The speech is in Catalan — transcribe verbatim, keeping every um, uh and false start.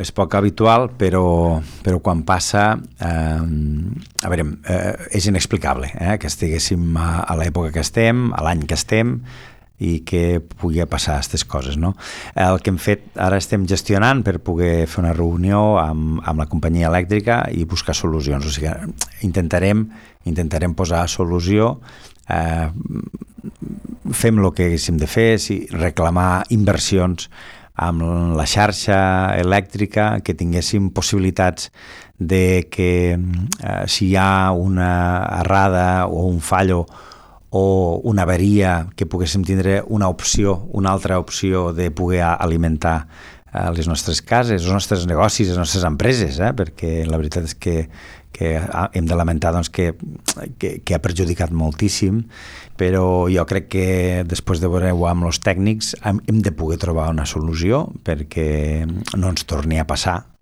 és poc habitual, però, però quan passa, eh, a veure, eh, és inexplicable eh, que estiguéssim a, a l'època que estem, a l'any que estem, i que pugui passar aquestes coses, no? El que hem fet, ara estem gestionant per poder fer una reunió amb, amb la companyia elèctrica i buscar solucions, o sigui, intentarem, intentarem posar solució, eh, fem el que haguéssim de fer, si reclamar inversions amb la xarxa elèctrica, que tinguéssim possibilitats de que eh, si hi ha una errada o un fallo o una avaria, que poguéssim tindre una opció, una altra opció de poder alimentar eh, les nostres cases, els nostres negocis, les nostres empreses, eh? Perquè la veritat és que, que hem de lamentar doncs, que, que, que ha perjudicat moltíssim, però jo crec que després de veure-ho amb els tècnics hem, hem de poder trobar una solució perquè no ens torni a passar